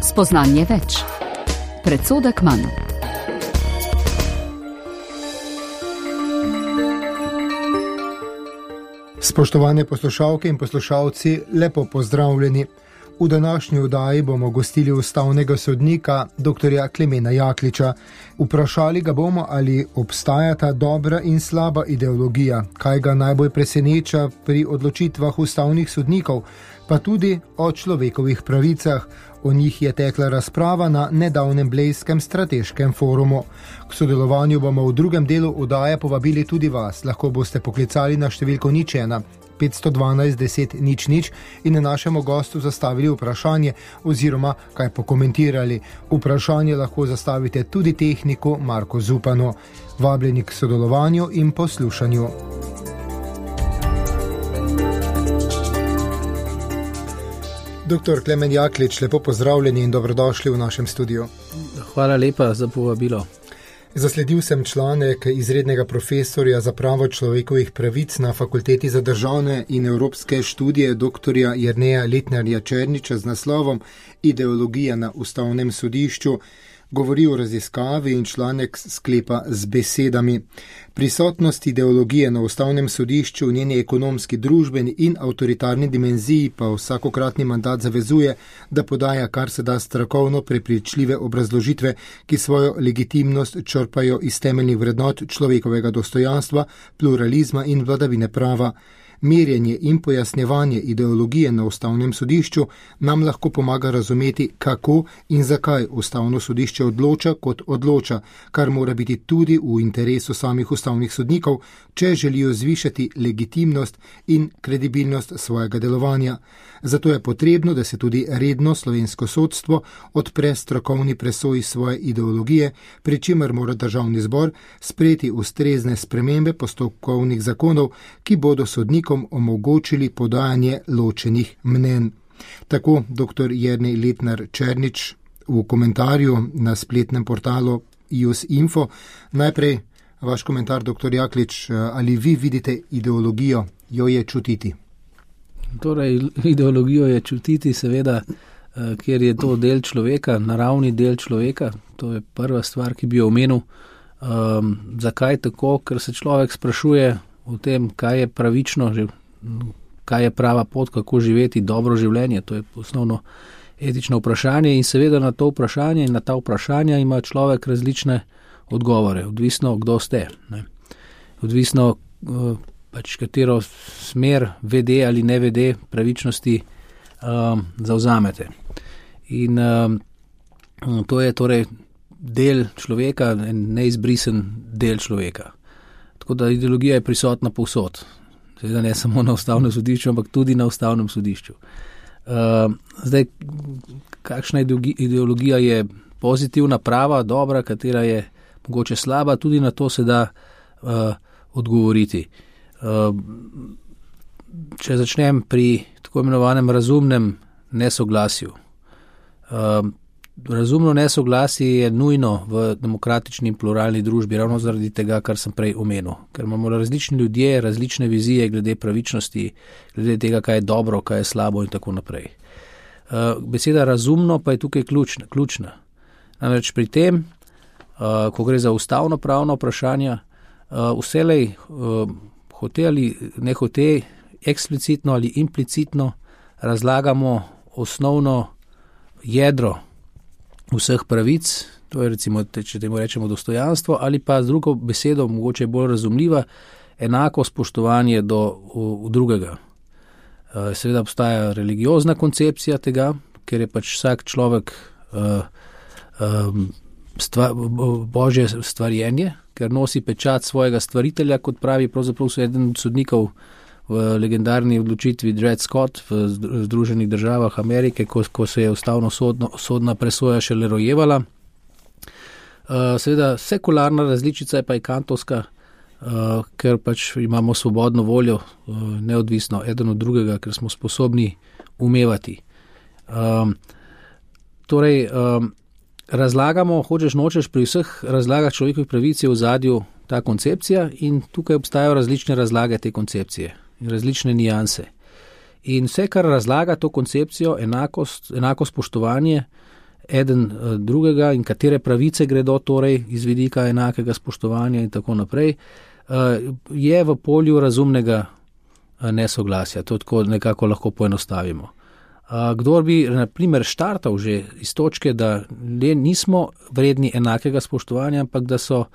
Spoznanje več. Predsodek manj. Spoštovane poslušalke in poslušalci, lepo pozdravljeni. V današnji oddaji bomo gostili ustavnega sodnika dr. Klemena Jakliča. Vprašali ga bomo, ali obstajata dobra in slaba ideologija, kaj ga najbolj preseneča pri odločitvah ustavnih sodnikov, pa tudi o človekovih pravicah. O njih je tekla razprava na nedavnem Blejskem strateškem forumu. K sodelovanju bomo v drugem delu oddaje povabili tudi vas. Lahko boste poklicali na številko 01 512 10 00 in našemu gostu zastavili vprašanje oziroma kaj pokomentirali. Vprašanje lahko zastavite tudi tehniku Marko Zupanu. Vabljeni k sodelovanju in poslušanju. Dr. Klemen Jaklič, lepo pozdravljeni in dobrodošli v našem studiu. Hvala lepa za povabilo. Zasledil sem članek izrednega profesorja za pravo človekovih pravic na Fakulteti za državne in evropske študije dr. Jerneja Letnarja Černiča z naslovom Ideologija na ustavnem sodišču. Govori o raziskavi in članek sklepa z besedami. Prisotnost ideologije na ustavnem sodišču v njeni ekonomski, družbeni in avtoritarni dimenziji pa vsakokratni mandat zavezuje, da podaja kar se da strokovno prepričljive obrazložitve, ki svojo legitimnost črpajo iz temeljnih vrednot človekovega dostojanstva, pluralizma in vladavine prava. Merjenje in pojasnjevanje ideologije na ustavnem sodišču nam lahko pomaga razumeti, kako in zakaj ustavno sodišče odloča, kot odloča, kar mora biti tudi v interesu samih ustavnih sodnikov, če želijo zvišati legitimnost in kredibilnost svojega delovanja. Zato je potrebno, da se tudi redno slovensko sodstvo odpre strokovni presoji svoje ideologije, pri čemer mora državni zbor sprejeti ustrezne spremembe postopkovnih zakonov, ki bodo sodnikom omogočili podajanje ločenih mnenj. Tako dr. Jernej Letnar Černič v komentarju na spletnem portalu ius.info. Najprej vaš komentar, dr. Jaklič, ali vi vidite ideologijo, jo je čutiti? Torej, ideologijo je čutiti seveda, ker je to del človeka, naravni del človeka. To je prva stvar, ki bi jo omenil. Zakaj tako? Ker se človek sprašuje o tem, kaj je pravično, kaj je prava pot, kako živeti dobro življenje. To je osnovno etično vprašanje in seveda na to vprašanje in na ta vprašanja ima človek različne odgovore, odvisno kdo ste. Ne? Odvisno katero smer vede ali ne vede pravičnosti zavzamete. In to je torej del človeka, neizbrisen del človeka. Tako da ideologija je prisotna povsod. Seveda ne samo na ustavnem sodišču, ampak tudi na ustavnem sodišču. Zdaj, kakšna ideologija je pozitivna, prava, dobra, katera je mogoče slaba, tudi na to se da odgovoriti. Če začnem pri tako imenovanem razumnem nesoglasju. Razumno nesoglasje je nujno v demokratični in pluralni družbi, ravno zaradi tega, kar sem prej omenil. Ker imamo različni ljudje, različne vizije glede pravičnosti, glede tega, kaj je dobro, kaj je slabo in tako naprej. Beseda razumno pa je tukaj ključna. Namreč pri tem, ko gre za ustavno pravno vprašanja, vselej hote ali ne hote, eksplicitno ali implicitno razlagamo osnovno jedro vseh pravic, to je recimo, če temu rečemo dostojanstvo, ali pa z drugo besedo, mogoče bolj razumljiva, enako spoštovanje do drugega. Seveda obstaja religiozna koncepcija tega, ker je pač vsak človek božje stvarjenje, ker nosi pečat svojega stvaritelja, kot pravi pravzaprav eden od sodnikov v legendarni odločitvi Dred Scott v Združenih državah Amerike, ko se je ustavno sodna presoja šele rojevala. Seveda sekularna različica je pa je kantovska, ker pač imamo svobodno voljo, neodvisno eden od drugega, ker smo sposobni umevati. Torej, razlagamo, hočeš nočeš, pri vseh razlagah človekovih pravic je v ozadju ta koncepcija in tukaj obstajajo različne razlage te koncepcije in različne nijanse. In vse, kar razlaga to koncepcijo, enako spoštovanje, eden drugega in katere pravice gredo torej iz vidika enakega spoštovanja in tako naprej, je v polju razumnega nesoglasja. To tako nekako lahko poenostavimo. Kdor bi, na primer, štartal že iz točke, da nismo vredni enakega spoštovanja, ampak da so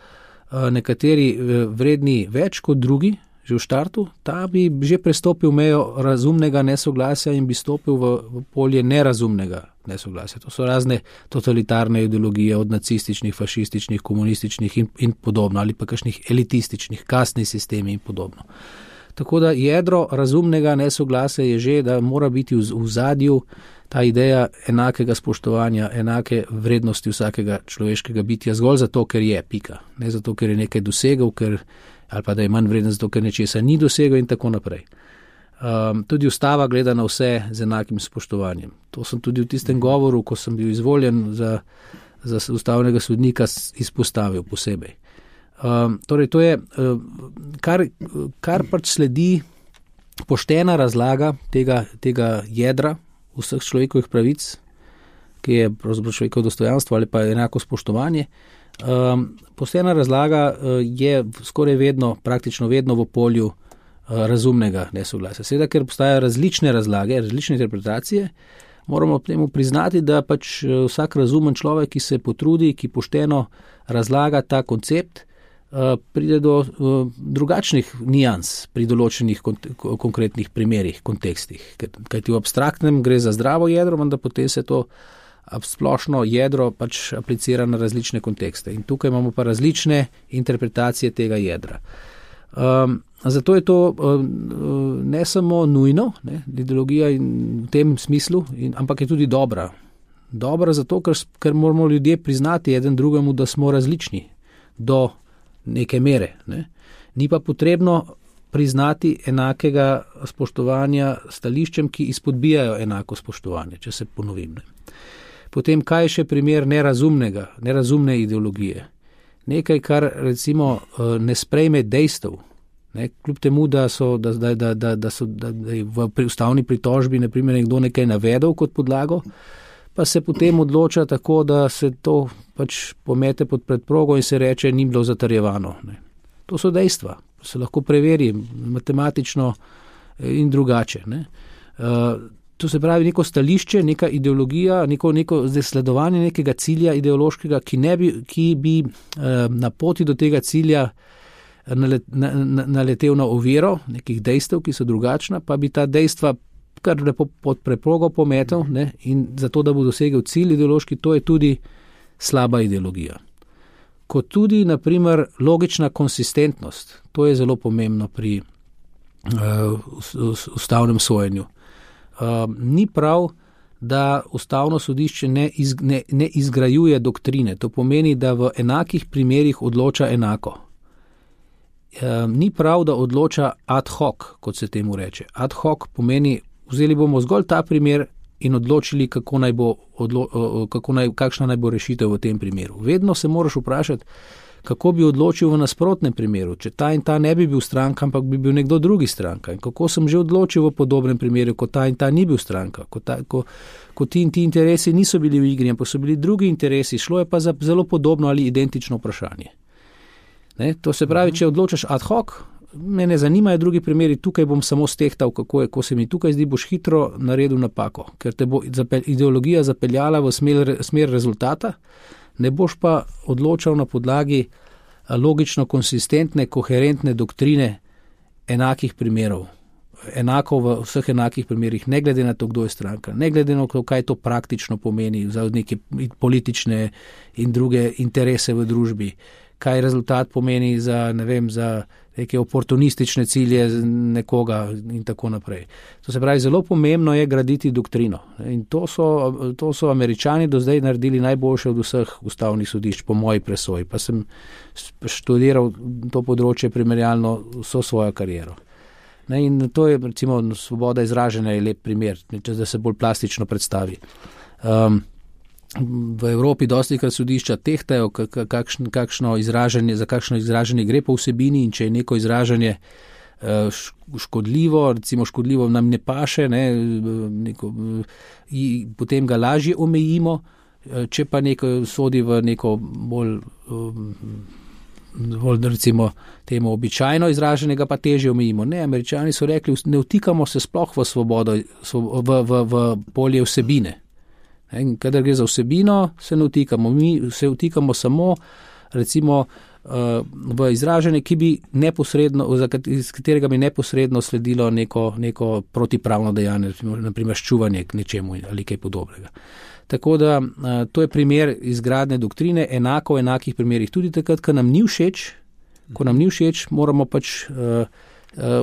nekateri vredni več kot drugi, že v štartu, ta bi že prestopil mejo razumnega nesoglasja in bi stopil v polje nerazumnega nesoglasja. To so razne totalitarne ideologije, od nacističnih, fašističnih, komunističnih in podobno, ali pa kakšnih elitističnih, kastni sistemi in podobno. Tako da jedro razumnega nesoglasja je že, da mora biti v zadju ta ideja enakega spoštovanja, enake vrednosti vsakega človeškega bitja, zgolj zato, ker je pika. Ne zato, ker je nekaj dosegel, ali pa da je manj vreden zato, ker nečesa ni dosegel in tako naprej. Tudi ustava gleda na vse z enakim spoštovanjem. To sem tudi v tistem govoru, ko sem bil izvoljen za ustavnega sodnika, izpostavil posebej. Torej, to je, kar pač sledi poštena razlaga tega jedra vseh človekovih pravic, ki je pravzaprav človekovo dostojanstvo ali pa enako spoštovanje. Poštena razlaga je skoraj vedno, praktično vedno v polju razumnega nesoglasja. Seveda, ker obstajajo različne razlage, različne interpretacije, moramo temu priznati, da pač vsak razumen človek, ki se potrudi, ki pošteno razlaga ta koncept, pride do drugačnih nijans pri določenih konkretnih primerih, kontekstih. Kajti v abstraktnem gre za zdravo jedro, vendar potem se to splošno jedro pač aplicira na različne kontekste. In tukaj imamo pa različne interpretacije tega jedra. Zato je to ne samo nujno, ideologija v tem smislu, ampak je tudi dobra. Dobra zato, ker moramo ljudje priznati eden drugemu, da smo različni do neke mere. Ni pa potrebno priznati enakega spoštovanja stališčem, ki izpodbijajo enako spoštovanje, če se ponovim. Potem, kaj je še primer nerazumne ideologije? Nekaj, kar recimo ne sprejme dejstev. Kljub temu, da je v ustavni pritožbi na primer nekdo nekaj navedel kot podlago, pa se potem odloča tako, da se to pač pomete pod predprogo in se reče, ni bilo zatrjevano. To so dejstva, se lahko preveri matematično in drugače. To se pravi neko stališče, neka ideologija, neko zasledovanje nekega cilja ideološkega, ki bi na poti do tega cilja naletel na oviro nekih dejstev, ki so drugačna, pa bi ta dejstva kar lepo pod preprogo pometel, in zato, da bo dosegel cilj ideološki, to je tudi slaba ideologija. Kot tudi, na primer, logična konsistentnost, to je zelo pomembno pri ustavnem sojenju. Ni prav, da ustavno sodišče ne izgrajuje doktrine, to pomeni, da v enakih primerih odloča enako. Ni prav, da odloča ad hoc, kot se temu reče. Ad hoc pomeni, vzeli bomo zgolj ta primer in odločili, kakšna naj bo rešitev v tem primeru. Vedno se moraš vprašati, kako bi odločil v nasprotnem primeru, če ta in ta ne bi bil stranka, ampak bi bil nekdo drugi stranka. In kako sem že odločil v podobnem primeru, ko ta in ta ni bil stranka, ko ti in ti interesi niso bili v igri, ampak so bili drugi interesi, šlo je pa za zelo podobno ali identično vprašanje. To se pravi, če odločaš ad hoc, me ne zanimajo drugi primeri, tukaj bom samo stehtal, ko se mi tukaj zdi, boš hitro naredil napako, ker te bo ideologija zapeljala v smer rezultata, ne boš pa odločal na podlagi logično konsistentne, koherentne doktrine enakih primerov. Enako v vseh enakih primerih, ne glede na to, kdo je stranka, ne glede na to, kaj to praktično pomeni za neke politične in druge interese v družbi, kaj rezultat pomeni za neke oportunistične cilje nekoga in tako naprej. To se pravi, zelo pomembno je graditi doktrino. In to so Američani do zdaj naredili najboljše od vseh ustavnih sodišč, po moji presoji. Pa sem študiral to področje primerjalno vso svojo kariero. In to je, recimo, svoboda izražanja je lep primer, da se bolj plastično predstavi. V Evropi dostikrat sodišča tehtajo, za kakšno izražanje gre po vsebini, in če je neko izražanje škodljivo, recimo škodljivo nam ne paše, potem ga lažje omejimo če pa neko sodi v neko bolj recimo temu običajno izraženega, pa težje omejimo. Ne, Američani so rekli, ne vtikamo se sploh v svobodo, v polje vsebine. Kadar gre za vsebino, se ne vtikamo. Mi se vtikamo samo recimo v izražanje, ki bi neposredno, iz katerega bi neposredno sledilo neko protipravno dejanje, naprimer ščuvanje k nečemu ali kaj podobnega. Tako da to je primer izgradne doktrine, enako v enakih primerih. Tudi takrat, ko nam ni všeč, moramo pač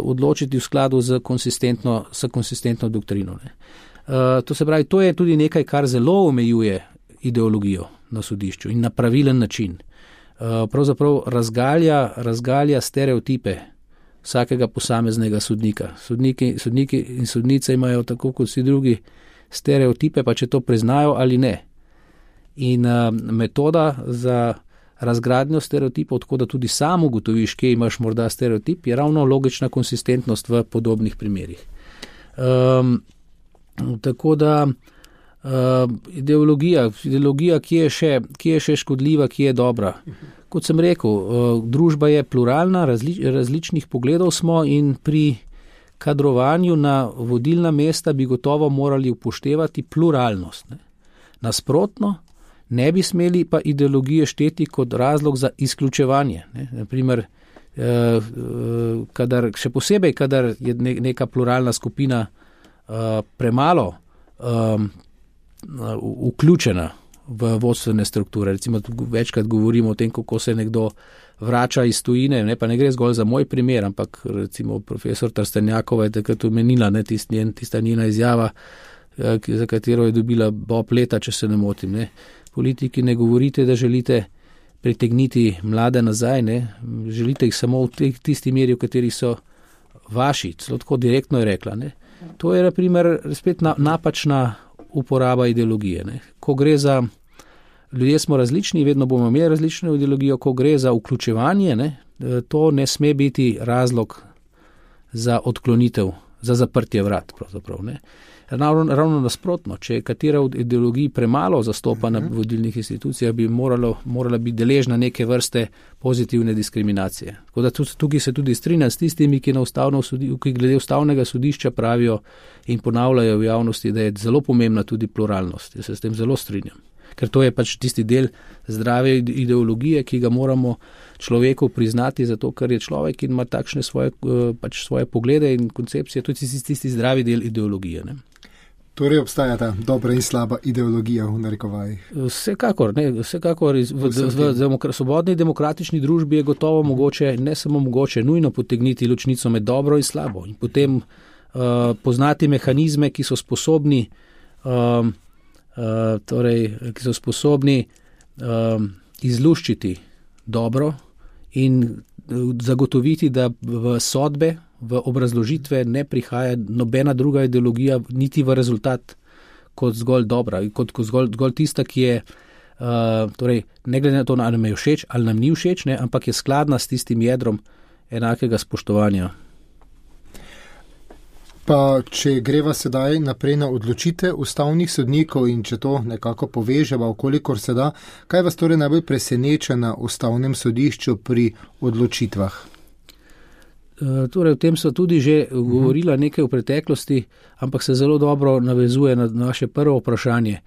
odločiti v skladu z konsistentno doktrino. Ne. To se pravi, to je tudi nekaj, kar zelo omejuje ideologijo na sodišču in na pravilen način. Pravzaprav razgalja stereotipe vsakega posameznega sodnika. Sodniki in sodnice imajo tako kot vsi drugi stereotipe, pa če to priznajo ali ne. In metoda za razgradnjo stereotipov, tako da tudi sam ugotoviš, kje imaš morda stereotip, je ravno logična konsistentnost v podobnih primerih. Tako da ideologija, ki je še škodljiva, ki je dobra. Kot sem rekel, družba je pluralna, različnih pogledov smo in pri kadrovanju na vodilna mesta bi gotovo morali upoštevati pluralnost. Ne. Nasprotno, ne bi smeli pa ideologije šteti kot razlog za izključevanje. Ne. Naprimer, še posebej, kadar je neka pluralna skupina premalo vključena v vodstvene strukture. Recimo, večkrat govorimo o tem, kako se nekdo vrača iz tujine, ne, pa ne gre zgolj za moj primer, ampak recimo profesor Trstenjakova je takrat omenila, tista njena izjava, za katero je dobila Bob leta, če se ne motim. Ne. Politiki ne govorite, da želite pritegniti mlade nazaj, ne. Želite jih samo v tisti meri, v kateri so vaši, celo tako direktno je rekla. Ne. To je na primer spet napačna uporaba ideologije. Ne. Ko gre za ljudje smo različni, vedno bomo imeli različno ideologijo, ko gre za vključevanje, ne, to ne sme biti razlog za odklonitev, za zaprtje vrat. Pravzaprav, ne. Ravno nasprotno, če je katera od ideologij premalo zastopana v vodilnih institucijah, bi morala biti deležna neke vrste pozitivne diskriminacije. Tako da tukaj se tudi strinjam s tistimi, ki glede ustavnega sodišča pravijo in ponavljajo v javnosti, da je zelo pomembna tudi pluralnost. Jaz se s tem zelo strinjam. Ker to je pač tisti del zdrave ideologije, ki ga moramo človeku priznati, zato ker je človek in ima takšne svoje poglede in koncepcije, tudi tisti zdravi del ideologije. Ne. Torej obstaja ta dobra in slaba ideologija v narekovajih? Vsekakor. V svobodni demokratični družbi je gotovo mogoče, ne samo mogoče, nujno potegniti ločnico med dobro in slabo in potem poznati mehanizme, ki so sposobni izluščiti dobro in zagotoviti, da v sodbe, v obrazložitve ne prihaja nobena druga ideologija, niti v rezultat kot zgolj dobra, kot zgolj tista, ki je, ne glede na to, ali nam je všeč ali nam ni všeč, ne, ampak je skladna s tistim jedrom enakega spoštovanja. Pa če greva sedaj naprej na odločitve ustavnih sodnikov in če to nekako poveževa, okolikor se da, kaj vas torej najbolj preseneča na ustavnem sodišču pri odločitvah? Torej, o tem so tudi že govorila nekaj v preteklosti, ampak se zelo dobro navezuje na naše prvo vprašanje.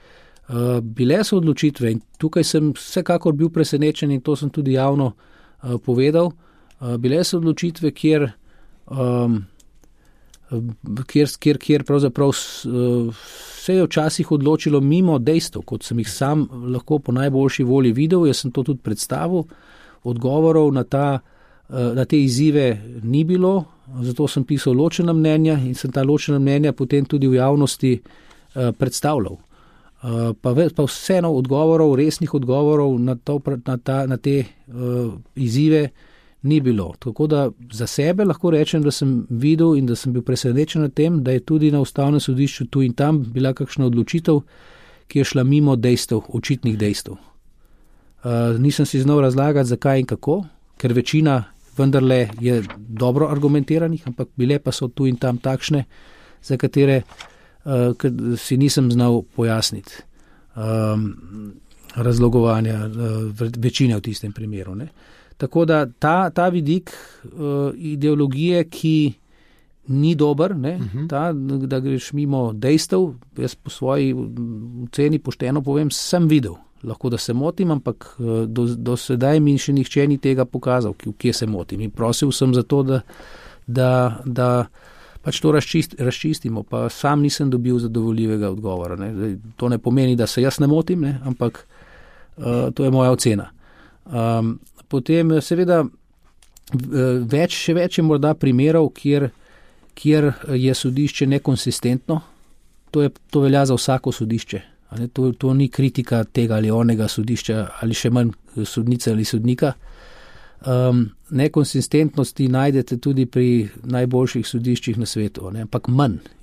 Bile so odločitve in tukaj sem vsekakor bil presenečen in to sem tudi javno povedal. Bile so odločitve, kjer pravzaprav se je včasih odločilo mimo dejstev, kot sem jih sam lahko po najboljši volji videl. Jaz sem to tudi predstavil, odgovorov na te izzive ni bilo, zato sem pisal ločena mnenja in sem ta ločena mnenja potem tudi v javnosti predstavljal. Pa vseeno odgovorov, resnih odgovorov na te izzive ni bilo. Tako da za sebe lahko rečem, da sem videl in da sem bil presenečen na tem, da je tudi na ustavnem sodišču tu in tam bila kakšna odločitev, ki je šla mimo dejstev, očitnih dejstev. Nisem si znal razlagati, zakaj in kako, ker večina vendarle je dobro argumentiranih, ampak bile pa so tu in tam takšne, za katere si nisem znal pojasniti. razlogovanja večine v tistem primeru. Ne. Tako da ta vidik ideologije, ki ni dober, ne, da greš mimo dejstev, jaz po svoji oceni pošteno povem, sem videl. Lahko, da se motim, ampak do sedaj mi še nihče ni tega pokazal, kje se motim. In prosil sem za to, da pač to razčistimo, pa sam nisem dobil zadovoljivega odgovora. Ne. To ne pomeni, da se jaz ne motim, ne, ampak to je moja ocena. Potem seveda še več je morda primerov, kjer je sodišče nekonsistentno. To velja za vsako sodišče. To ni kritika tega ali onega sodišča ali še manj sodnice ali sodnika. Nekonsistentnosti najdete tudi pri najboljših sodiščih na svetu, ne? Ampak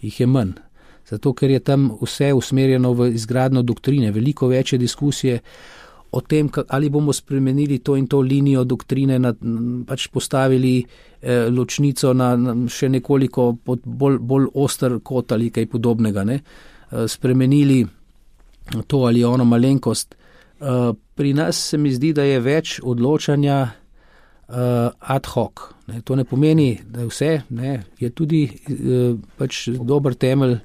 jih je manj. Zato, ker je tam vse usmerjeno v izgradnjo doktrine, veliko več je diskusije o tem, ali bomo spremenili to in to linijo doktrine, pač postavili ločnico na še nekoliko pod bolj oster kot ali kaj podobnega, ne? Spremenili to ali ono malenkost. Pri nas se mi zdi, da je več odločanja ad hoc. Ne. To ne pomeni, da je vse, ne, je tudi pač dober temelj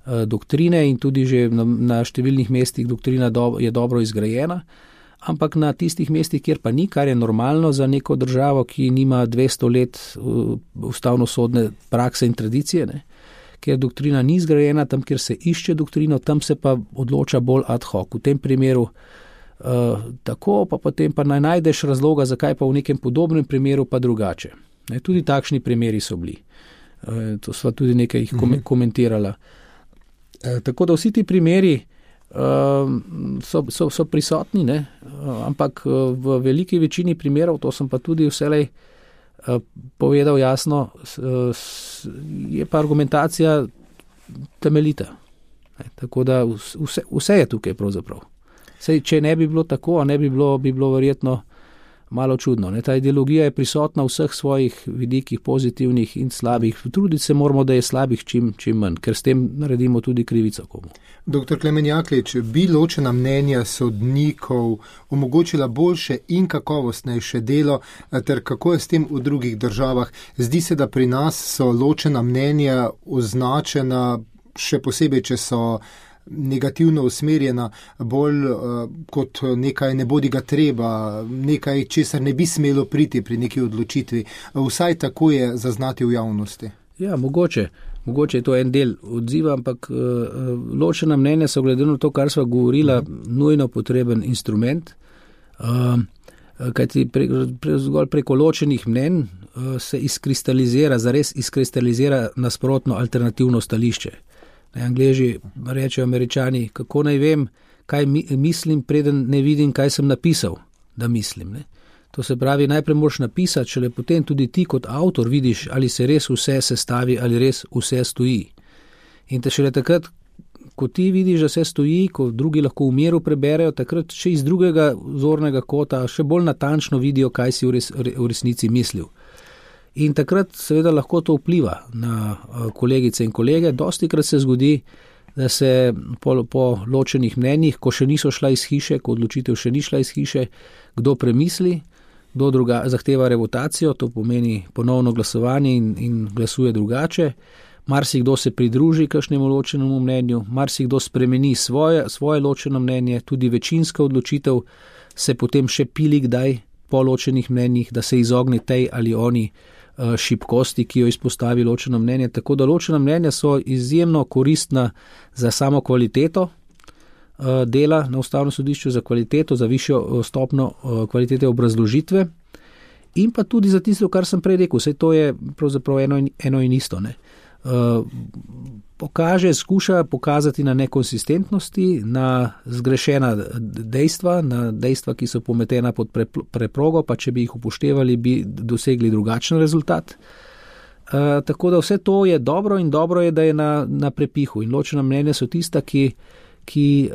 doktrine in tudi že na številnih mestih doktrina je dobro izgrajena, ampak na tistih mestih, kjer pa ni, kar je normalno za neko državo, ki nima 200 let ustavnosodne prakse in tradicije, ne, ker doktrina ni zgrajena, tam, kjer se išče doktrino, tam se pa odloča bolj ad hoc. V tem primeru tako, pa potem pa naj najdeš razloga, zakaj pa v nekem podobnem primeru pa drugače. Ne, tudi takšni primeri so bili. To sva tudi nekaj jih komentirala. Tako da vsi ti primeri so prisotni, ne, ampak v veliki večini primerov, to sem pa tudi vselej povedal jasno, je pa argumentacija temeljita. Tako da vse je tukaj pravzaprav. Sej, če ne bi bilo tako, bi bilo verjetno malo čudno. Ne? Ta ideologija je prisotna v vseh svojih vidikih, pozitivnih in slabih. Truditi se moramo, da je slabih čim manj, ker s tem naredimo tudi krivico komu. Dr. Klemen Jaklič, bi ločena mnenja sodnikov omogočila boljše in kakovostnejše delo, ter kako je s tem v drugih državah? Zdi se, da pri nas so ločena mnenja označena, še posebej, če so negativno usmerjena, bolj kot nekaj ne bodi ga treba, nekaj, česar ne bi smelo priti pri neki odločitvi. Vsaj tako je zaznati v javnosti. Ja, mogoče je to en del odziva, ampak ločena mnenja so glede na to, kar sva govorila, nujno potreben instrument, kajti zgolj preko ločenih mnenj se zares izkristalizira nasprotno alternativno stališče. Angleži rečejo Američani, kako naj vem, kaj mislim, preden ne vidim, kaj sem napisal, da mislim. Ne? To se pravi, najprej moraš napisati, šele potem tudi ti kot avtor vidiš, ali se res vse sestavi, ali res vse stoji. In te šele takrat, ko ti vidiš, da se stoji, ko drugi lahko v miru preberejo, takrat še iz drugega zornega kota še bolj natančno vidijo, kaj si v resnici mislil. In takrat seveda lahko to vpliva na kolegice in kolege. Dostikrat se zgodi, da se po ločenih mnenjih, ko še niso šla iz hiše, ko odločitev še ni šla iz hiše, kdo premisli, kdo zahteva revotacijo, to pomeni ponovno glasovanje in glasuje drugače. Marsikdo se pridruži kakšnemu ločenemu mnenju, marsikdo spremeni svoje ločeno mnenje, tudi večinska odločitev se potem še pili kdaj po ločenih mnenjih, da se izogne tej ali oni šibkosti, ki jo izpostavi ločeno mnenje. Tako da ločena mnenja so izjemno koristna za samo kvaliteto dela na Ustavnem sodišču, za kvaliteto, za višjo stopnjo kvalitete obrazložitve in pa tudi za tisto, kar sem prej rekel. Vse to je pravzaprav eno in isto. Ne? Skuša pokazati na nekonsistentnosti, na zgrešena dejstva, na dejstva, ki so pometena pod preprogo, pa če bi jih upoštevali, bi dosegli drugačen rezultat. Tako da vse to je dobro in dobro je, da je na prepihu. In ločena mnenja so tista, ki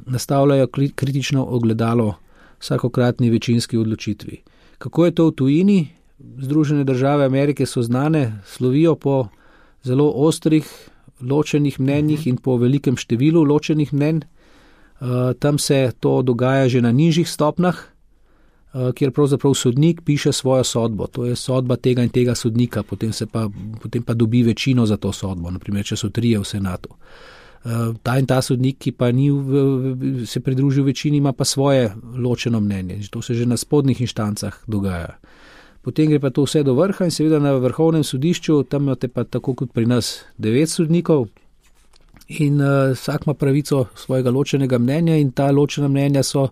nastavljajo kritično ogledalo vsakokratni večinski odločitvi. Kako je to v tujini? Združene države Amerike so znane, slovijo po zelo ostrih ločenih mnenjih in po velikem številu ločenih mnenj. Tam se to dogaja že na nižjih stopnjah, kjer pravzaprav sodnik piše svojo sodbo. To je sodba tega in tega sodnika, potem pa dobi večino za to sodbo, naprimer, če so 3 v senatu. Ta in ta sodnik, ki pa ni se pridružil večini, ima pa svoje ločeno mnenje. To se že na spodnjih inštancah dogaja. Potem gre pa to vse do vrha in seveda na vrhovnem sodišču, tam imate pa tako kot pri nas 9 sodnikov in vsak ima pravico svojega ločenega mnenja in ta ločena mnenja so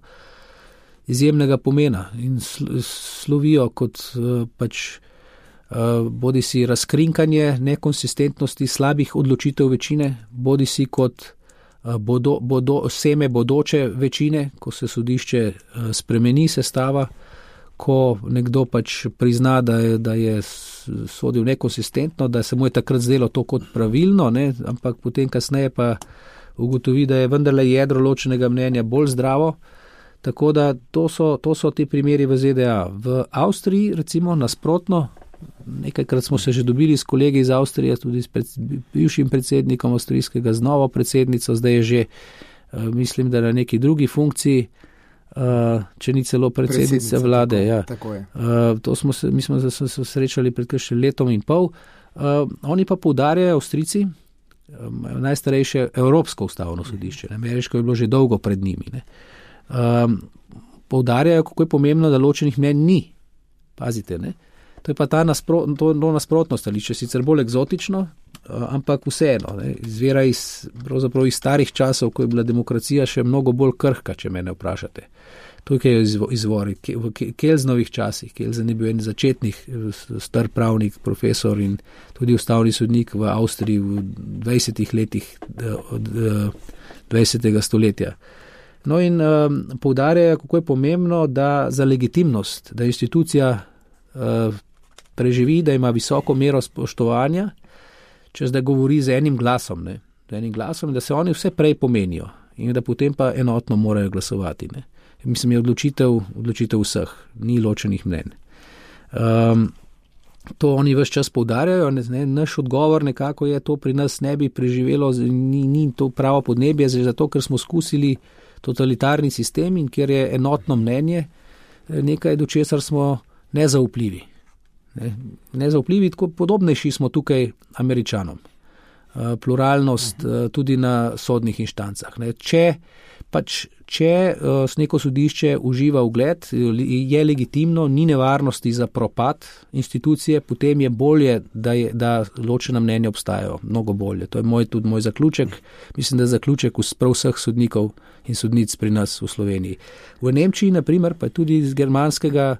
izjemnega pomena in slovijo kot bodi si razkrinkanje nekonsistentnosti slabih odločitev večine, bodi si kot seme bodoče večine, ko se sodišče spremeni sestava, ko nekdo prizna, da je sodil nekonsistentno, da se mu je takrat zdelo to kot pravilno, ne, ampak potem kasneje pa ugotovi, da je vendarle jedro ločenega mnenja bolj zdravo. Tako da to so ti primeri v ZDA. V Avstriji recimo nasprotno, nekajkrat smo se že dobili s kolegi iz Avstrije, tudi s bivšim predsednikom avstrijskega, z novo predsednico, zdaj je že, mislim, da na neki drugi funkciji, če ni celo predsednica vlade. Tako je. Mi smo se srečali pred še letom in pol. Oni pa poudarjajo, Avstrijci, najstarejše Evropsko ustavno sodišče, ameriško je bilo že dolgo pred njimi, ne. Poudarjajo, kako je pomembno, da ločenih mnenj ni. Pazite, ne? To je pa to nasprotno stališče, sicer bolj eksotično, ampak vseeno, ne? Izvira pravzaprav iz starih časov, ko je bila demokracija še mnogo bolj krhka, če mene vprašate. Tukaj je izvor, v Kelznovih časih. Kelzen je bil en začetnih star pravnik, profesor in tudi ustavni sodnik v Avstriji v 20 letih od 20. stoletja. No in poudarjajo, kako je pomembno, da za legitimnost, da institucija preživi, da ima visoko mero spoštovanja, če zdaj govori z enim glasom, ne, da se oni vse prej pomenijo in da potem pa enotno morajo glasovati. Ne. Mislim, je odločitev vseh, ni ločenih mnenj. To oni ves čas poudarjajo, ne, naš odgovor nekako je, to pri nas ne bi preživelo, ni to pravo podnebje, zato ker smo skusili totalitarni sistem in kjer je enotno mnenje nekaj, do česar smo nezaupljivi. Nezaupljivi, tako podobnejši smo tukaj Američanom. Pluralnost tudi na sodnih inštancah. Ne. Če neko sodišče uživa ugled, je legitimno, ni nevarnosti za propad institucije, potem je bolje, da ločena mnenja obstajajo, mnogo bolje. To je tudi moj zaključek. Mislim, da je zaključek prav vseh sodnikov in sodnic pri nas v Sloveniji. V Nemčiji, na primer, pa tudi iz germanskega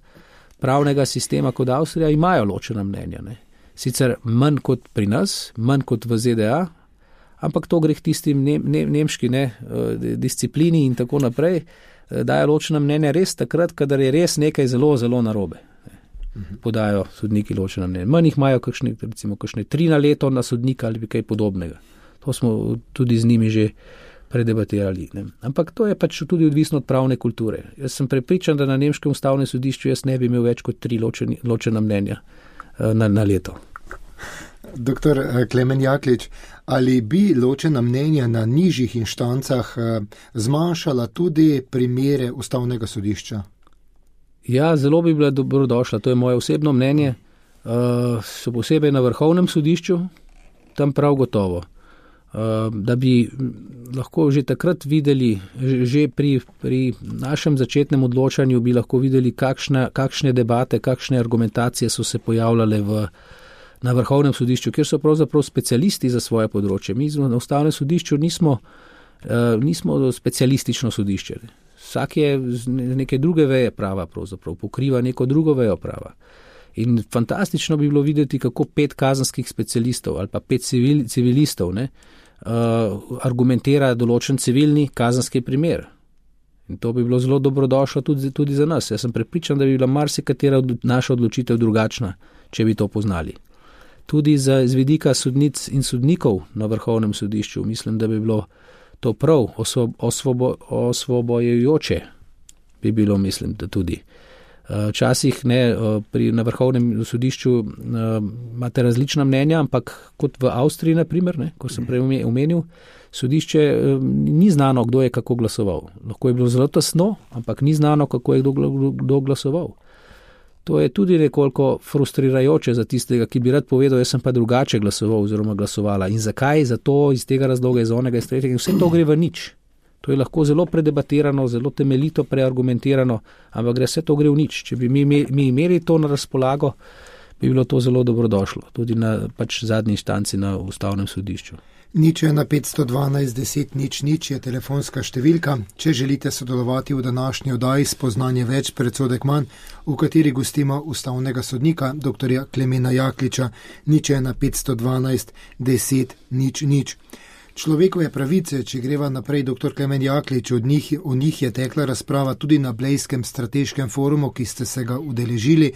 pravnega sistema kot Avstrija, imajo ločena mnenja. Ne. Sicer manj kot pri nas, manj kot v ZDA, ampak to gre k tistim nemški disciplini in tako naprej, dajo ločena mnenja res takrat, kadar je res nekaj zelo, zelo narobe. Podajo sodniki ločena mnenja. Manj jih imajo kakšne 3 na leto na sodnika ali kaj podobnega. To smo tudi z njimi že predebatirali. Ne. Ampak to je tudi odvisno od pravne kulture. Jaz sem prepričan, da na nemškem ustavnem sodišču jaz ne bi imel več kot 3 ločena mnenja na leto. Doktor Klemen Jaklič, ali bi ločena mnenja na nižjih inštancah zmanjšala tudi primere ustavnega sodišča? Ja, zelo bi bila dobrodošla, to je moje osebno mnenje, še posebej na vrhovnem sodišču, tam prav gotovo. Da bi lahko že takrat videli, že pri našem začetnem odločanju bi lahko videli, kakšne debate, kakšne argumentacije so se pojavljale na vrhovnem sodišču, kjer so pravzaprav specialisti za svoje področje. Mi na ustavnem sodišču nismo specialistično sodišče. Vsak je z neke druge veje prava pravzaprav, pokriva neko drugo vejo prava. In fantastično bi bilo videti, kako 5 kazenskih specialistov ali pa 5 civilistov argumentira določen civilni kazenski primer. In to bi bilo zelo dobrodošlo tudi za nas. Jaz sem prepričan, da bi bila marsikatera naša odločitev drugačna, če bi to poznali. Tudi z vidika sodnic in sodnikov na vrhovnem sodišču mislim, da bi bilo to prav osvobojujoče, bi bilo, mislim, da tudi. Včasih na vrhovnem sodišču imate različna mnenja, ampak kot v Avstriji, naprimer, ko sem prej omenil, sodišče ni znano, kdo je kako glasoval. Lahko je bilo zelo tesno, ampak ni znano, kako je kdo glasoval. To je tudi nekoliko frustrirajoče za tistega, ki bi rad povedal, jaz sem pa drugače glasoval oziroma glasovala. In zakaj? Zato iz tega razloga, iz onega, iz tretjega. Vse to gre v nič. To je lahko zelo predebatirano, zelo temeljito preargumentirano, ampak vse to gre v nič. Če bi mi imeli to na razpolago, bi bilo to zelo dobrodošlo. Tudi na zadnji inštanci na Ustavnem sodišču. 0:1 512 10 00 je telefonska številka. Če želite sodelovati v današnji oddaji Spoznanje več, predsodek manj, v kateri gostimo ustavnega sodnika, dr. Klemena Jakliča, 0:1 512 10 00. Človekove pravice, če greva naprej, dr. Klemen Jaklič, o njih je tekla razprava tudi na Blejskem strateškem forumu, ki ste se ga udeležili.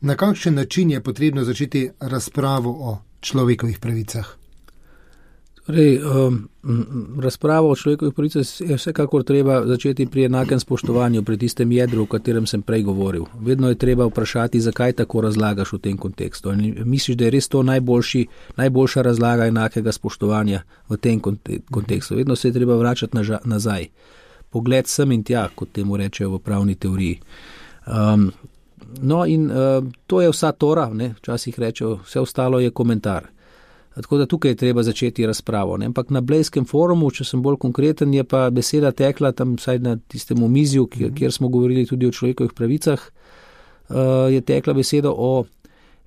Na kakšen način je potrebno začeti razpravo o človekovih pravicah? Razpravo o človekovih pravicah je vsekakor treba začeti pri enakem spoštovanju, pri tistem jedru, o katerem sem prej govoril. Vedno je treba vprašati, zakaj tako razlagaš v tem kontekstu. Misliš, da je res to najboljša razlaga enakega spoštovanja v tem kontekstu. Vedno se je treba vračati nazaj. Pogled sem in tja, kot temu rečejo v pravni teoriji. To je vsa tora, včasih rečejo, vse ostalo je komentar. Tako da tukaj je treba začeti razpravo. Ampak na Blejskem forumu, če sem bolj konkreten, je pa beseda tekla tam vsaj na tistem omizju, kjer smo govorili tudi o človekovih pravicah, je tekla beseda o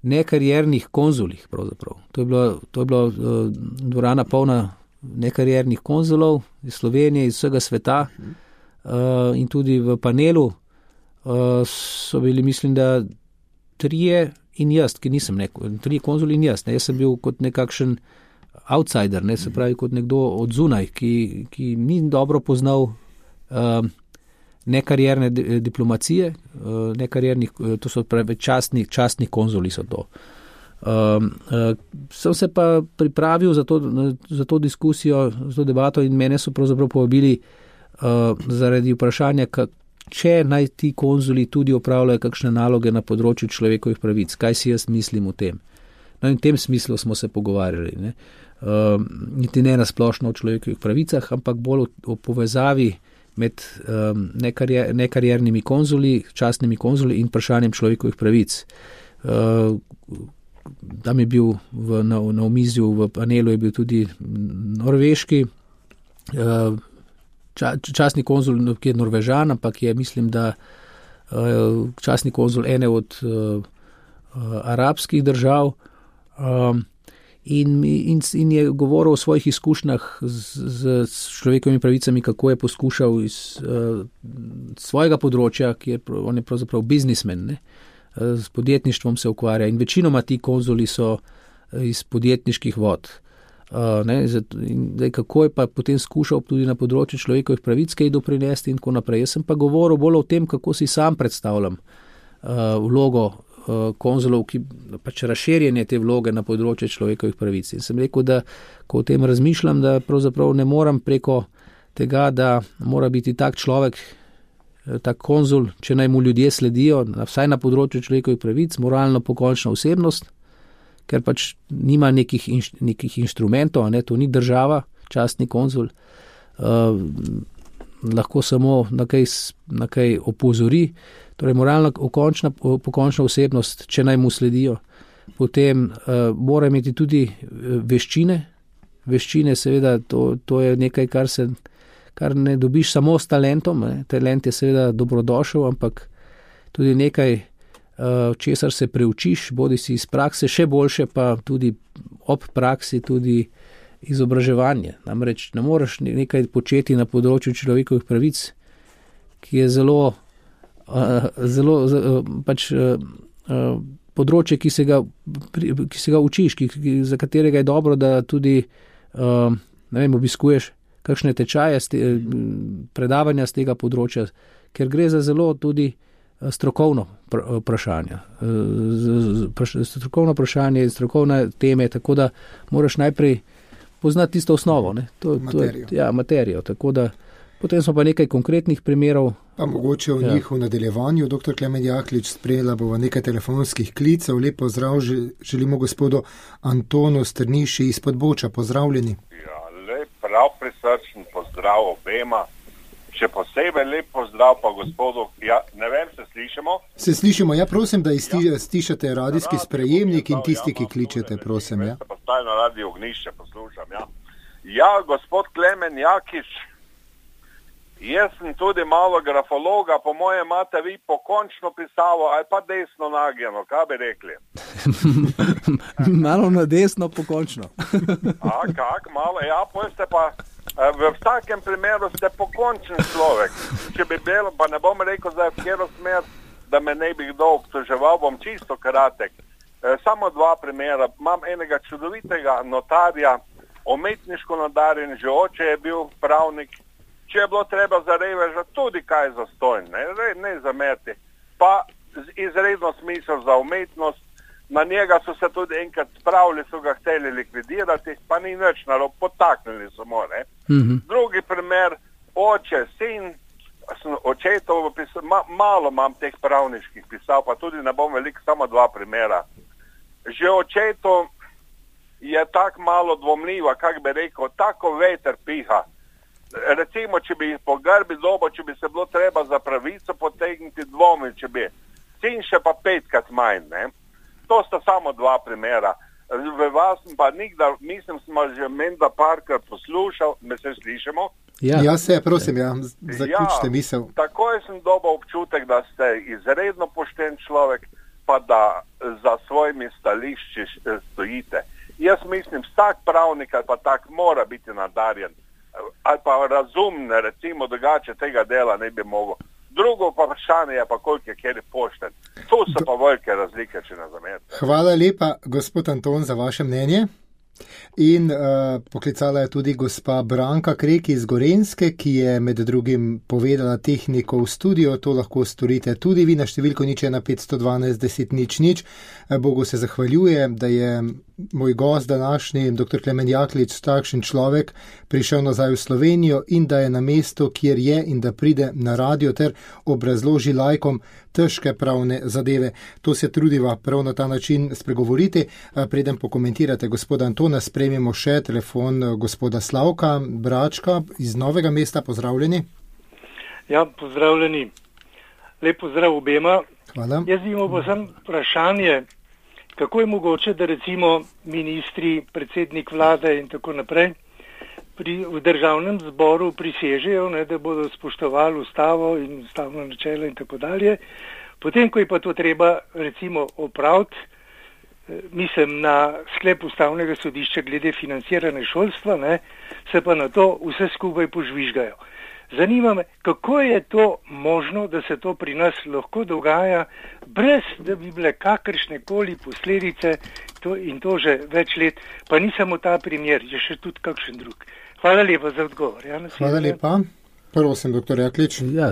nekariernih konzulih pravzaprav. To je bila dvorana polna nekariernih konzulov iz Slovenije, iz vsega sveta in tudi v panelu so bili, mislim, da 3 in jaz, ki nisem 3 konzuli in jaz. Jaz sem bil kot nekakšen outsider, se pravi kot nekdo od zunaj, ki ni dobro poznal nekarierne diplomacije, to so pravi častni konzuli so to. Sem se pa pripravil za to diskusijo, za to debato in mene so pravzaprav povabili zaradi vprašanja, če naj ti konzuli tudi opravljajo kakšne naloge na področju človekovih pravic. Kaj si jaz mislim o tem? In v tem smislu smo se pogovarjali. Niti ne na splošno o človekovih pravicah, ampak bolj o povezavi med nekariernimi konzuli, častnimi konzuli in vprašanjem človekovih pravic. Tam je bil na omizju, v panelu je bil tudi norveški častni konzul, ki je Norvežan, ampak je, mislim, da častni konzul ene od arabskih držav in je govoril o svojih izkušnjah z človekovimi pravicami, kako je poskušal iz svojega področja, on je pravzaprav biznismen, s podjetništvom se ukvarja in večinoma ti konzuli so iz podjetniških vod. Kako je pa potem skušal tudi na področju človekovih pravic kaj doprinesti in tako naprej. Jaz sem pa govoril bolj o tem, kako si sam predstavljam vlogo konzulov, ki pač razširjenje te vloge na področju človekovih pravic. In sem rekel, da ko o tem razmišljam, da pravzaprav ne moram preko tega, da mora biti tak človek, tak konzul, če naj mu ljudje sledijo, vsaj na področju človekovih pravic, moralno pokončna osebnost, ker pač nima nekih inštrumentov, to ni država, častni konzul, lahko samo na kaj opozori, torej moralna pokončna osebnost, če naj mu sledijo. Potem mora imeti tudi veščine, seveda, to je nekaj, kar ne dobiš samo s talentom, talent je seveda dobrodošel, ampak tudi nekaj, česar se preučiš, bodi si iz prakse, še boljše pa tudi ob praksi, tudi izobraževanje. Namreč ne moreš nekaj početi na področju človekovih pravic, ki je zelo področje, ki se ga učiš, za katerega je dobro, da tudi obiskuješ kakšne tečaje, predavanja z tega področja, ker gre za zelo tudi strokovno vprašanje, strokovne teme, tako da moraš najprej poznati tisto osnovo, materijo. Tako da potem smo pa nekaj konkretnih primerov Pa mogoče v njih v nadaljevanju. Dr. Klemen Jaklič, sprejela bova nekaj telefonskih klicev. Lep pozdrav želimo gospodu Antonu Strniši iz Podboča. Pozdravljeni. Ja, lep, prav prisrčen pozdrav obema. Še posebej lep pozdrav pa gospodu, ne vem, se slišimo? Se slišimo, prosim, da stišate radijski sprejemnik in tisti, ki kličete, prosim. Ja, pa stajno radio Ognišče poslušam, Ja, gospod Klemen Jakič, jaz sem tudi malo grafologa, po moje imate vi pokončno pisavo, ali pa desno nagnjeno, kaj bi rekli? Malo na desno, pokončno. Malo, pojste pa... V vsakem primeru ste pokončen človek. Če bi bilo, pa ne bom rekel zdaj v kjero smer, da me ne bi kdo obtoževal, bom čisto kratek. Samo 2 primera. Imam enega čudovitega notarja, umetniško nadarjen, že oče je bil pravnik. Če je bilo treba za reveža, tudi kaj zastojn, ne zamerti. Pa izredno smisel za umetnost. Na njega so se tudi enkrat spravili, so ga hteli likvidirati, pa ni nič narobe, potaknili so mu. Drugi primer, oče, sin, očetov, malo imam teh pravniških pisav, pa tudi ne bom veliko, samo 2 primera. Že očetov je tako malo dvomljiva, kak bi rekel, tako veter piha. Recimo, če bi jih po grbi dobo, če bi se bilo treba za pravico potegniti dvomi, če bi. Sin še pa 5krat manj, To sta samo 2 primera. V vas pa nikdar, mislim, smo že menda parkrat poslušal, me se slišimo? Ja, se, prosim, zaključite misel. Takoj sem dobil občutek, da ste izredno pošten človek, pa da za svojimi stališči stojite. Jaz mislim, vsak pravnik ali pa tak mora biti nadarjen, ali pa razumen, recimo, drugače tega dela ne bi mogel. Drugo pa vprašanje je pa, koliko je kjer pošten. Tu so pa velike razlike, če ne zamerite. Hvala lepa, gospod Anton, za vaše mnenje. In poklicala je tudi gospa Branka Krek iz Gorenjske, ki je med drugim povedala tehniko v studio. To lahko storite tudi vi na številko 01512 10 00. Bogu se zahvaljuje, da je moj gost današnji, dr. Klemen Jaklič, takšen človek, prišel nazaj v Slovenijo in da je na mestu, kjer je, in da pride na radio ter obrazloži laikom težke pravne zadeve. To se trudiva prav na ta način spregovoriti. Preden pokomentirate gospoda Antona, sprejmemo še telefon gospoda Slavka Bračka iz Novega mesta. Pozdravljeni. Ja, pozdravljeni. Lep pozdrav obema. Hvala. Jaz imam pa sem vprašanje, kako je mogoče, da recimo ministri, predsednik vlade in tako naprej v državnem zboru prisežejo, da bodo spoštovali ustavo in ustavno načelo in tako dalje. Potem, ko je pa to treba recimo opraviti, mislim na sklep ustavnega sodišča glede financiranja šolstva, se pa na to vse skupaj požvižgajo. Zanima me, kako je to možno, da se to pri nas lahko dogaja, brez da bi bile kakršne koli posledice, in to že več let, pa ni samo ta primer, je še tudi kakšen drug. Hvala lepa za odgovor. Hvala lepa. Prosim, dr. Jaklič. Ja,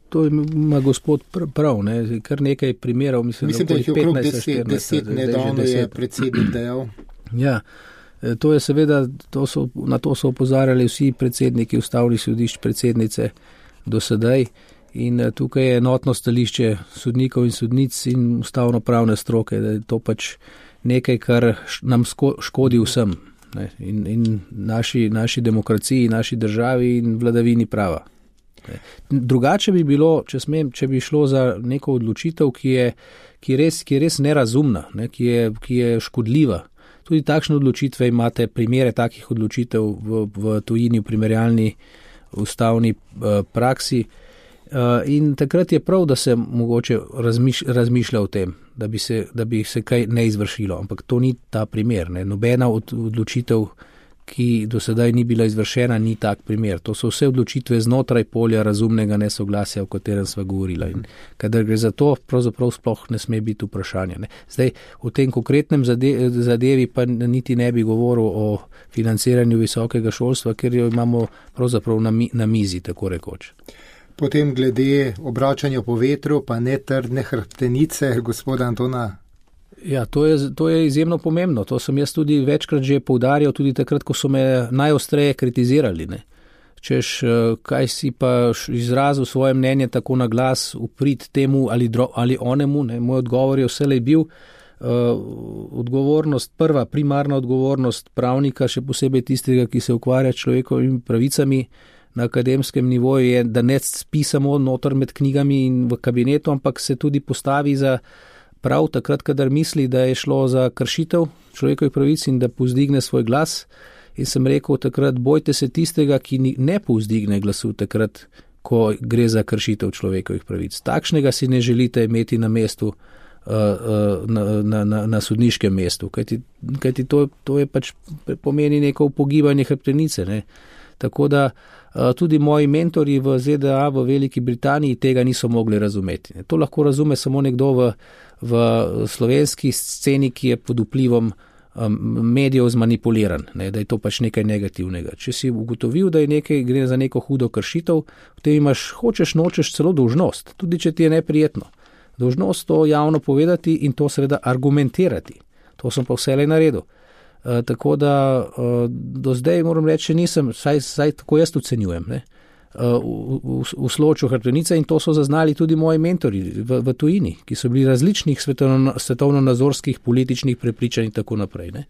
to ima gospod prav, kar nekaj primerov. Mislim, da jih je okrog 10, nedavno je predsednik dejal. Ja. To je seveda, na to so opozarjali vsi predsedniki ustavnih sodišč, predsednice do sedaj, in tukaj je enotno stališče sodnikov in sodnic in ustavno-pravne stroke, da je to pač nekaj, kar nam škodi vsem, in naši demokraciji, naši državi in vladavini prava. Drugače bi bilo, če bi šlo za neko odločitev, ki je res nerazumna, ki je škodljiva. Tudi takšne odločitve imate, primere takih odločitev v tujini, v primerjalni ustavni praksi. In takrat je prav, da se mogoče razmišlja o tem, da bi se kaj ne izvršilo. Ampak to ni ta primer. Nobena odločitev, ki do sedaj ni bila izvršena, ni tak primer. To so vse odločitve znotraj polja razumnega nesoglasja, o katerem sva govorila. In kadar gre za to, pravzaprav sploh ne sme biti vprašanja. Zdaj, v tem konkretnem zadevi pa niti ne bi govoril o financiranju visokega šolstva, ker jo imamo pravzaprav na mizi, tako rekoč. Potem glede obračanja po vetru, pa netrdne hrbtenice gospoda Antona. Ja, to je izjemno pomembno. To sem jaz tudi večkrat že poudarjal, tudi takrat, ko so me najostreje kritizirali. češ, kaj si pa izrazil svoje mnenje tako na glas uprit temu ali onemu, ne. Moj odgovor je vselej bil, primarna odgovornost pravnika, še posebej tistega, ki se ukvarja s človekovimi pravicami na akademskem nivoju, je, da ne spi samo noter med knjigami in v kabinetu, ampak se tudi postavi za prav takrat, kadar misli, da je šlo za kršitev človekovih pravic in da povzdigne svoj glas. In sem rekel takrat, bojte se tistega, ki ne povzdigne glasu takrat, ko gre za kršitev človekovih pravic. Takšnega si ne želite imeti na mestu, na sodniškem mestu, kajti to je pač pomeni neko upogibanje hrbtenice, ne. Tako da tudi moji mentori v ZDA, v Veliki Britaniji tega niso mogli razumeti. To lahko razume samo nekdo v slovenski sceni, ki je pod vplivom medijev zmanipuliran, ne, da je to pač nekaj negativnega. Če si ugotovil, da je gre za neko hudo kršitev, potem imaš, nočeš celo dolžnost, tudi če ti je neprijetno. Dolžnost to javno povedati in to seveda argumentirati. To sem pa vselej naredil. Tako da do zdaj moram reči, nisem, saj tako jaz ocenjujem, ne, v sloču hrbtenice, in to so zaznali tudi moji mentori v tujini, ki so bili različnih svetovno-nazorskih političnih prepričanj in tako naprej. Ne.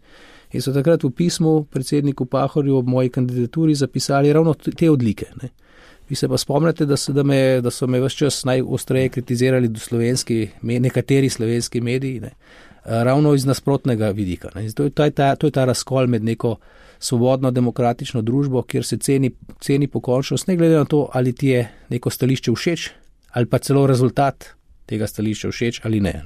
In so takrat v pismu predsedniku Pahorju ob moji kandidaturi zapisali ravno te odlike. Ne. Vi se pa spomnite, da so me ves čas najostreje kritizirali nekateri slovenski mediji, ne, ravno iz nasprotnega vidika. Ne. To je ta razkol med neko svobodno demokratično družbo, kjer se ceni pokončnost, ne glede na to, ali ti je neko stališče všeč, ali pa celo rezultat tega stališča všeč ali ne.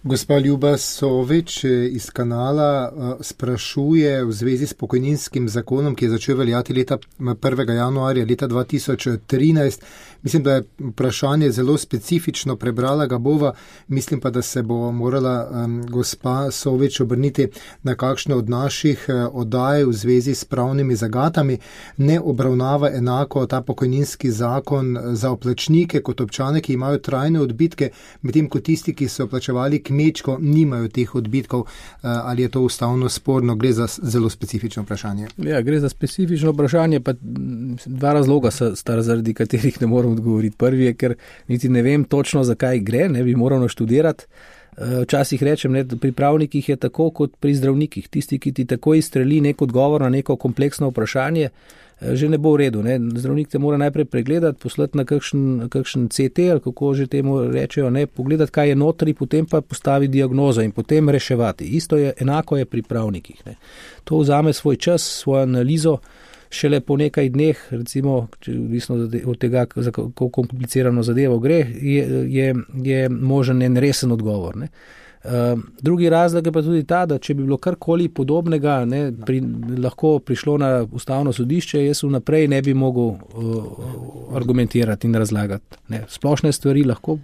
Gospa Ljuba Sovič iz Kanala sprašuje v zvezi s pokojninskim zakonom, ki je začel veljati 1. januarja leta 2013. Mislim, da je vprašanje zelo specifično, prebrala ga bova, mislim pa, da se bo morala gospa Sovič obrniti na kakšne od naših oddaj v zvezi s pravnimi zagatami. Ne obravnava enako ta pokojninski zakon za oplačnike kot občane, ki imajo trajne odbitke, medtem ko tisti, ki so plačevali kmečko, nimajo teh odbitkov. Ali je to ustavno sporno? Gre za zelo specifično vprašanje. Ja, gre za specifično vprašanje, pa dva razloga sta, zaradi katerih ne moram odgovoriti. Prvi je, ker niti ne vem točno, zakaj gre, ne bi moral naštudirati. Včasih rečem, ne, pri pravnikih je tako kot pri zdravnikih. Tisti, ki ti tako izstreli nek odgovor na neko kompleksno vprašanje, že ne bo v redu. Ne. Zdravnik te mora najprej pregledati, poslati na kakšen CT, ali kako že temu rečejo, ne, pogledati, kaj je notri, potem pa postavi diagnozo in potem reševati. Enako je pri pravnikih. Ne. To vzame svoj čas, svojo analizo, šele po nekaj dneh, recimo, odvisno od tega, za kako komplicirano zadevo gre, je možen en resen odgovor. Ne. Drugi razlog je pa tudi ta, da če bi bilo karkoli podobnega, ne, lahko prišlo na ustavno sodišče, jaz vnaprej ne bi mogel argumentirati in razlagati. Ne. Splošne stvari lahko,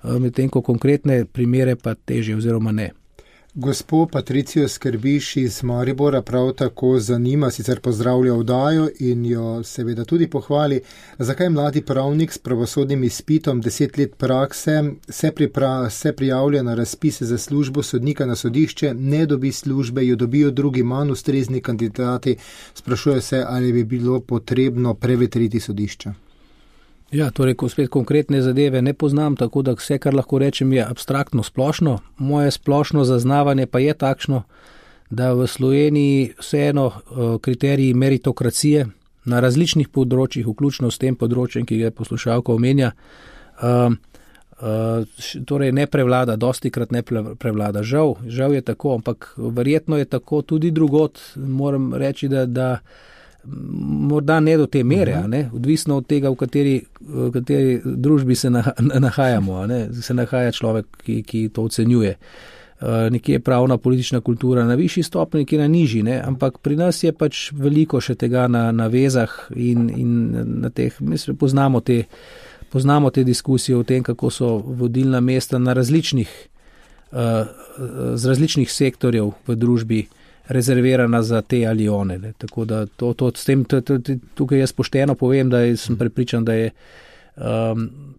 medtem ko konkretne primere pa težje oziroma ne. Gospo Patricijo Skrbiš iz Maribora prav tako zanima, sicer pozdravlja oddajo in jo seveda tudi pohvali, zakaj mladi pravnik s pravosodnim izpitom 10 let prakse se prijavlja na razpise za službo sodnika na sodišče, ne dobi službe, jo dobijo drugi manj ustrezni kandidati. Sprašuje se, ali bi bilo potrebno prevetriti sodišča. Ja, torej, ko spet konkretne zadeve ne poznam, tako da vse, kar lahko rečem, je abstraktno splošno. Moje splošno zaznavanje pa je takšno, da v Sloveniji vseeno kriteriji meritokracije na različnih področjih, vključno s tem področjem, ki ga poslušalka omenja, torej ne prevlada, dostikrat ne prevlada. Žal je tako, ampak verjetno je tako tudi drugod. Moram reči, da morda ne do te mere, ne? Odvisno od tega, v kateri družbi se nahajamo, ne? Se nahaja človek, ki to ocenjuje. Nekje je pravna politična kultura na višji stopnji, nekje na nižji, ne? Ampak pri nas je pač veliko še tega na vezah in na teh, mislim, poznamo te diskusije o tem, kako so vodilna mesta na z različnih sektorjev v družbi rezervirana za te ali one. Ne. Tako da tukaj jaz pošteno povem, da sem prepričan, da je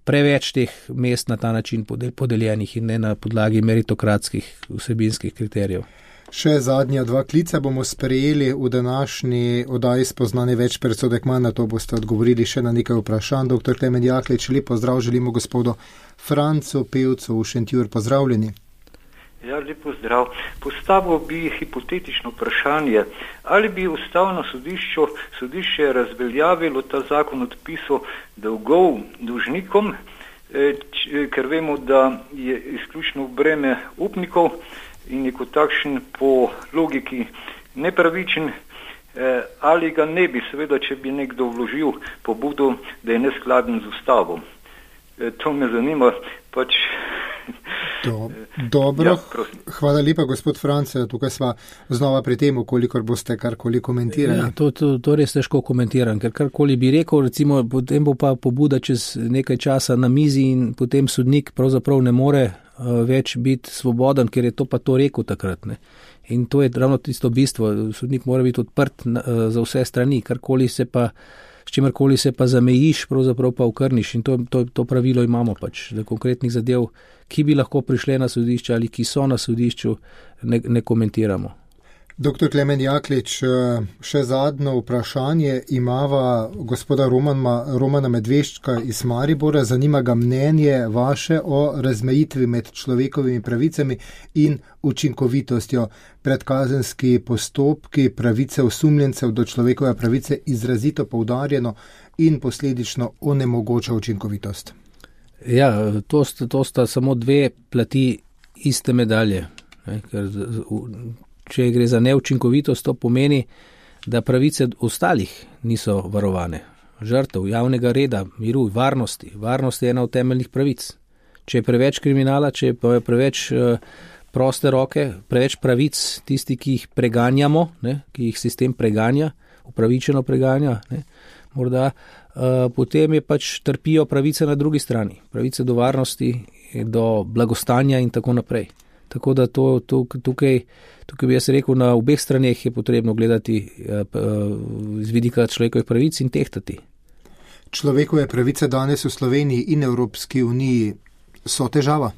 preveč teh mest na ta način podeljenih in ne na podlagi meritokratskih vsebinskih kriterijev. Še zadnja 2 klica bomo sprejeli v današnji oddaji Spoznanje več, predsodek manj, na to boste odgovorili še na nekaj vprašanj. Dr. Klemen Jaklič, lep pozdrav želimo gospodu Francu Pevcu v Šentjur. Pozdravljeni. Ja, lep pozdrav. Postavil bi hipotetično vprašanje, ali bi Ustavno sodišče razveljavilo ta zakon odpisov dolgov dolžnikom, ker vemo, da je izključno breme upnikov in je kot takšen po logiki nepravičen, ali ga ne bi, seveda, če bi nekdo vložil pobudo, da je neskladen z Ustavo. To me zanima, pač. Dobro, hvala lepa, gospod France, tukaj sva znova pri tem, kolikor boste karkoli komentirali. Ja, to res težko komentiram, ker karkoli bi rekel, recimo, potem bo pa pobuda čez nekaj časa na mizi in potem sodnik pravzaprav ne more več biti svoboden, ker je to pa to rekel takrat. Ne. In to je ravno tisto bistvo, sodnik mora biti odprt za vse strani, s čimerkoli se pa zamejiš, pravzaprav pa ukrniš in to pravilo imamo pač, da konkretnih zadev, ki bi lahko prišle na sodišče ali ki so na sodišču, ne komentiramo. Dr. Klemen Jaklič, še zadnjo vprašanje imava gospoda Romana Medveščka iz Maribora. Zanima ga mnenje vaše o razmejitvi med človekovimi pravicami in učinkovitostjo. Predkazenski postopki, pravice osumljencev do človekove pravice izrazito poudarjeno in posledično onemogoča učinkovitost. Ja, to sta samo 2 plati iste medalje. Ker če gre za neučinkovitost, to pomeni, da pravice ostalih niso varovane. Žrtev javnega reda, miru, varnosti. Varnost je ena od temeljnih pravic. Če je preveč kriminala, če je preveč proste roke, preveč pravic, tisti, ki jih preganjamo, ki jih sistem preganja, upravičeno preganja, morda, potem je pač trpijo pravice na drugi strani. Pravice do varnosti, do blagostanja in tako naprej. Tako da tukaj bi jaz rekel, na obeh straneh je potrebno gledati z vidika človekovih pravic in tehtati. Človekove pravice danes v Sloveniji in Evropski uniji so težava?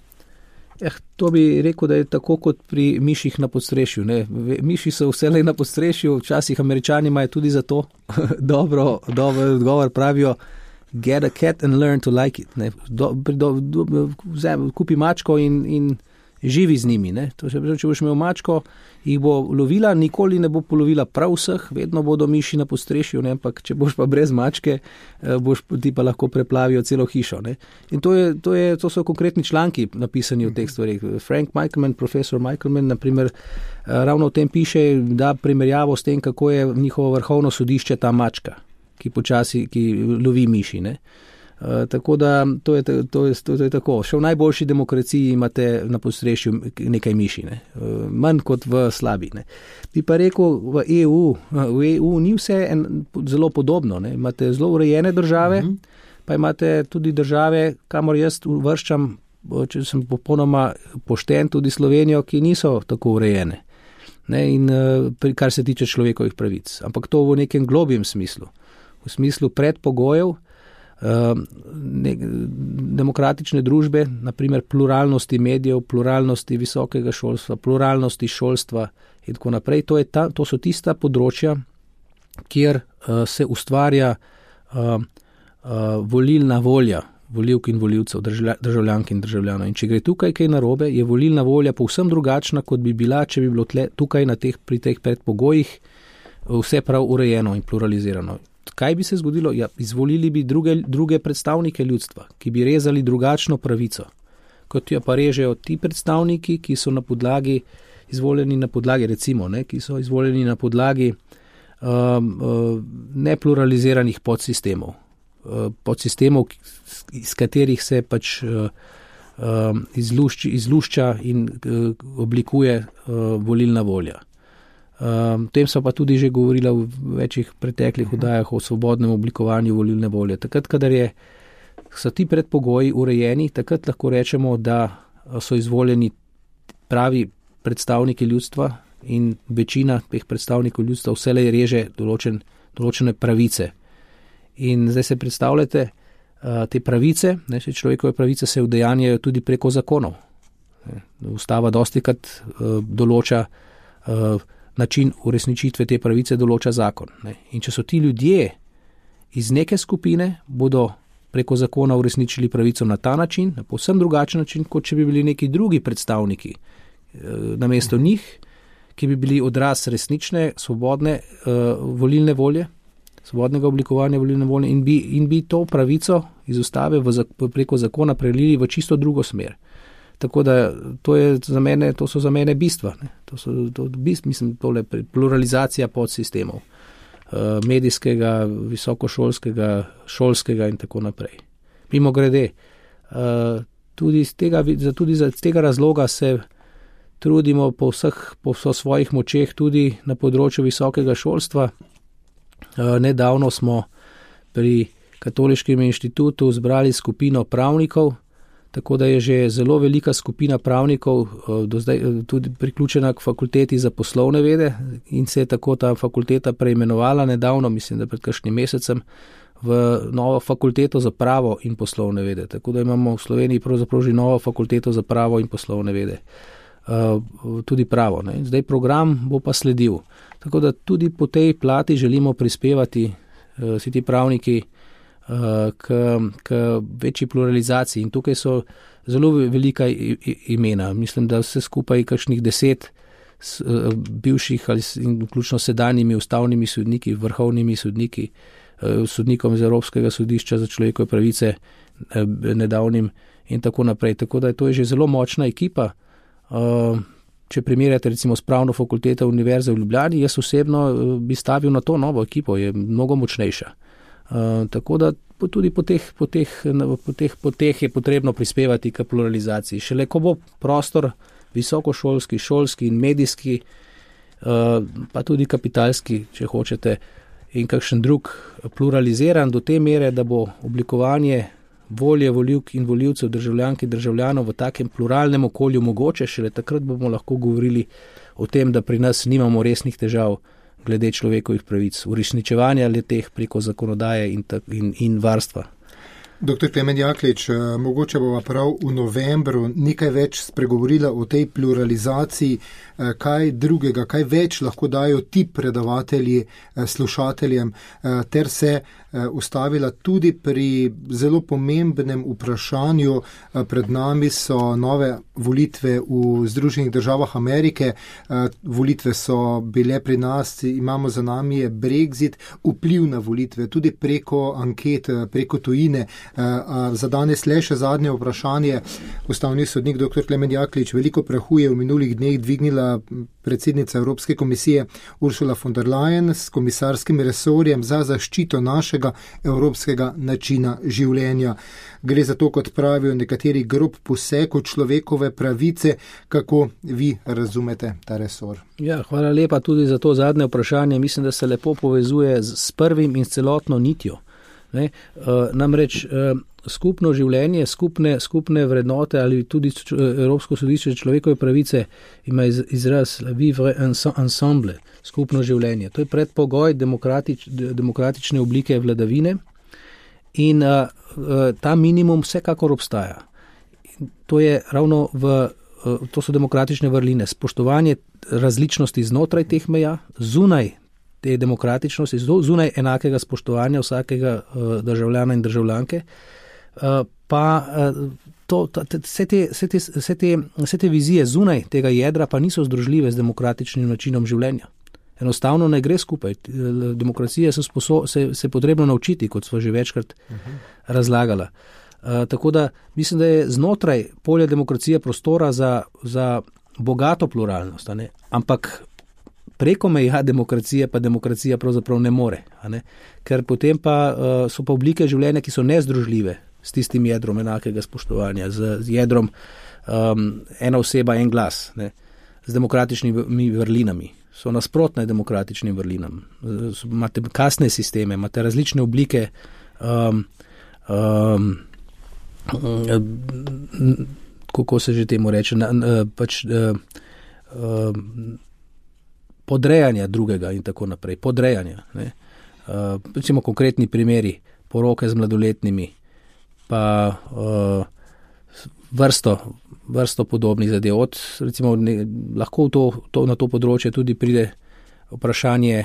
To bi rekel, da je tako kot pri miših na podstrešju. Ne? Miši so vselej na podstrešju, včasih Američani imajo tudi za to dobro odgovor, pravijo get a cat and learn to like it. Ne? Kupi mačko in živi z njimi. Ne? To se pravi, če boš imel mačko, jih bo lovila, nikoli ne bo polovila prav vseh, vedno bodo miši na podstrešju, ampak če boš pa brez mačke, ti pa lahko preplavijo celo hišo. Ne? In to so konkretni članki napisani v teh stvarih. Frank Michelman, profesor Michelman, naprimer, ravno o tem piše, da primerjavo s tem, kako je njihovo vrhovno sodišče ta mačka, ki lovi miši. Ne? Tako da to je tako. Še v najboljši demokraciji imate na podstrešju nekaj miši, ne? Manj kot v slabi. Ne? Bi pa rekel, v EU ni vse zelo podobno. Ne? Imate zelo urejene države, pa imate tudi države, kamor jaz uvrščam, če sem popolnoma pošten, tudi Slovenijo, ki niso tako urejene. Ne? In kar se tiče človekovih pravic. Ampak to v nekem globjem smislu. V smislu predpogojev, demokratične družbe, naprimer pluralnosti medijev, pluralnosti visokega šolstva, pluralnosti šolstva in tako naprej. To so tista področja, kjer se ustvarja volilna volja volivk in volivcev, državljank in državljanov. In če gre tukaj kaj narobe, je volilna volja povsem drugačna, kot bi bila, če bi bilo tukaj pri teh predpogojih vse prav urejeno in pluralizirano. Kaj bi se zgodilo? Ja, izvolili bi druge predstavnike ljudstva, ki bi rezali drugačno pravico, kot jo pa režejo ti predstavniki, ki so izvoljeni na podlagi, recimo, ki so izvoljeni na podlagi nepluraliziranih podsistemov, iz katerih se pač izlušča in oblikuje volilna volja. Tem so pa tudi že govorila v večjih preteklih oddajah o svobodnem oblikovanju volilne volje. Takrat, kadar so ti predpogoji urejeni, takrat lahko rečemo, da so izvoljeni pravi predstavniki ljudstva in večina teh predstavnikov ljudstva vselej reže določene pravice. In zdaj se predstavljate, te pravice, človekove pravice se udejanjajo tudi preko zakonov. Ustava dostikrat določa način uresničitve te pravice določa zakon. Ne. In če so ti ljudje iz neke skupine, bodo preko zakona uresničili pravico na ta način, na povsem drugačen način, kot če bi bili neki drugi predstavniki namesto njih, ki bi bili odraz resnične, svobodne volilne volje, svobodnega oblikovanja volilne volje in bi to pravico iz ustave preko zakona prelili v čisto drugo smer. Tako da to so za mene bistva. Mislim, tole pluralizacija podsistemov, medijskega, visokošolskega, šolskega in tako naprej. Mimo grede, tudi z tega razloga se trudimo po svojih močeh tudi na področju visokega šolstva. Nedavno smo pri Katoliškem inštitutu zbrali skupino pravnikov, tako da je že zelo velika skupina pravnikov do zdaj tudi priključena k fakulteti za poslovne vede in se je tako ta fakulteta preimenovala nedavno, mislim, da pred kakšnim mesecem, v novo fakulteto za pravo in poslovne vede. Tako da imamo v Sloveniji pravzaprav že novo fakulteto za pravo in poslovne vede. Tudi pravo. Ne. Zdaj program bo pa sledil. Tako da tudi po tej plati želimo prispevati vsi ti pravniki k večji pluralizaciji. In tukaj so zelo velika imena. Mislim, da vse skupaj kakšnih 10 bivših ali vključno sedanjimi ustavnimi sodniki, vrhovnimi sodniki, sodnikom iz Evropskega sodišča za človekove pravice nedavnim in tako naprej. Tako da to je že zelo močna ekipa. Če primerjate recimo s pravno fakulteto Univerze v Ljubljani, jaz osebno bi stavil na to novo ekipo, je mnogo močnejša. Tako da tudi po teh je potrebno prispevati k pluralizaciji. Šele ko bo prostor visokošolski, šolski in medijski, pa tudi kapitalski, če hočete, in kakšen drug pluraliziran do te mere, da bo oblikovanje volje volivk in volivcev, državljank in državljanov v takem pluralnem okolju mogoče, šele takrat bomo lahko govorili o tem, da pri nas nimamo resnih težav glede človekovih pravic, uresničevanja le-teh preko zakonodaje in varstva. Dr. Klemen Jaklič, mogoče bova prav v novembru nekaj več spregovorila o tej pluralizaciji, kaj drugega, kaj več lahko dajo ti predavatelji slušateljem, ter se ustavila tudi pri zelo pomembnem vprašanju. Pred nami so nove volitve v Združenih državah Amerike, volitve so bile pri nas, imamo za nami je Brexit, vpliv na volitve, tudi preko anket, preko tujine. Za danes le še zadnje vprašanje. Ustavni sodnik dr. Klemen Jaklič, veliko prahu je v minulih dneh dvignila predsednica Evropske komisije Ursula von der Leyen s komisarskim resorjem za zaščito našega evropskega načina življenja. Gre za to, kot pravijo nekateri, grob poseg v človekove pravice. Kako vi razumete ta resor? Ja, hvala lepa tudi za to zadnje vprašanje. Mislim, da se lepo povezuje s prvim in s celotno nitjo. Namreč skupno življenje, skupne vrednote ali tudi Evropsko sodišče človekove pravice ima izraz vivre ensemble, skupno življenje. To je predpogoj demokratične oblike vladavine in ta minimum vsekakor obstaja. To je ravno to so demokratične vrline, spoštovanje različnosti znotraj teh meja, zunaj te demokratičnosti, zunaj enakega spoštovanja vsakega državljana in državljanke, pa vse te vizije zunaj tega jedra pa niso združljive z demokratičnim načinom življenja. Enostavno ne gre skupaj. Demokracija se potrebno naučiti, kot smo že večkrat razlagala. Tako da mislim, da je znotraj polja demokracije prostora za bogato pluralnost, ampak preko meja demokracije pa demokracija pravzaprav ne more, ker potem pa so pa oblike življenja, ki so nezdružljive s tistim jedrom enakega spoštovanja, z jedrom ena oseba, en glas, z demokratičnimi vrlinami. So nasprotne demokratičnim vrlinam. Imate kasne sisteme, imate različne oblike kako se že temu reče, podrejanja drugega in tako naprej. Podrejanja. Recimo konkretni primeri poroke z mladoletnimi, pa vrsto podobnih zadev. Recimo, lahko na to področje tudi pride vprašanje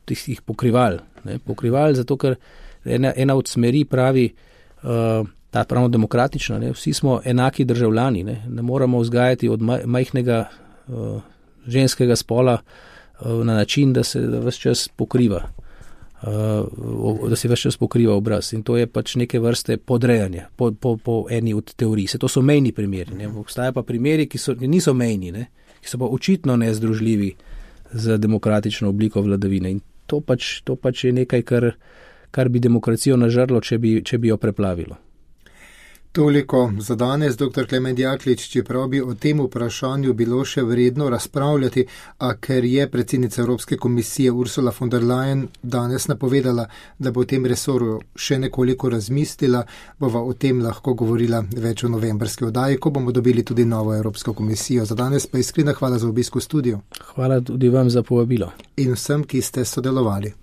tistih pokrival. Pokrival, zato ker ena od smeri pravi, ta pravno demokratična, vsi smo enaki državljani, ne moramo vzgajati od majhnega ženskega spola na način, da se ves čas pokriva. Da se ves čas pokriva obraz. In to je pač neke vrste podrejanje po eni od teorij. To so mejni primeri. Obstajajo pa primeri, ki niso mejni, ki so pa očitno nezdružljivi z demokratično obliko vladavine. In to pač je nekaj, kar bi demokracijo nažrlo, če bi jo preplavilo. Toliko za danes, dr. Klemen Jaklič, čeprav bi o tem vprašanju bilo še vredno razpravljati, a ker je predsednica Evropske komisije Ursula von der Leyen danes napovedala, da bo o tem resorju še nekoliko razmislila, bova o tem lahko govorila več v novembrski oddaji, ko bomo dobili tudi novo Evropsko komisijo. Za danes pa iskrena hvala za obisk v studiu. Hvala tudi vam za povabilo. In vsem, ki ste sodelovali.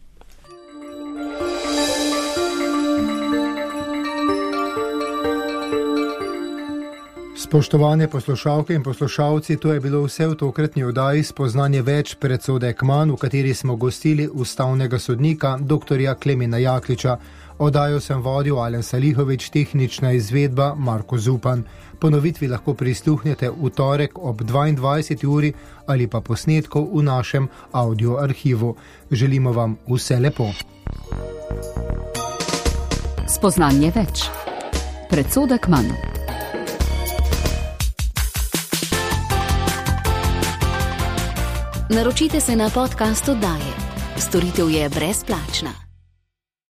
Spoštovane poslušalke in poslušalci, to je bilo vse v tokratni oddaji Spoznanje več predsodek manj, v kateri smo gostili ustavnega sodnika dr. Klemena Jakliča. Oddajo sem vodil Alen Salihovič, tehnična izvedba Marko Zupan. Ponovitvi lahko prisluhnete v torek ob 22. uri ali pa posnetkov v našem audio arhivu. Želimo vam vse lepo. Spoznanje več predsodek manj. Naročite se na podcast oddaje. Storitev je brezplačna.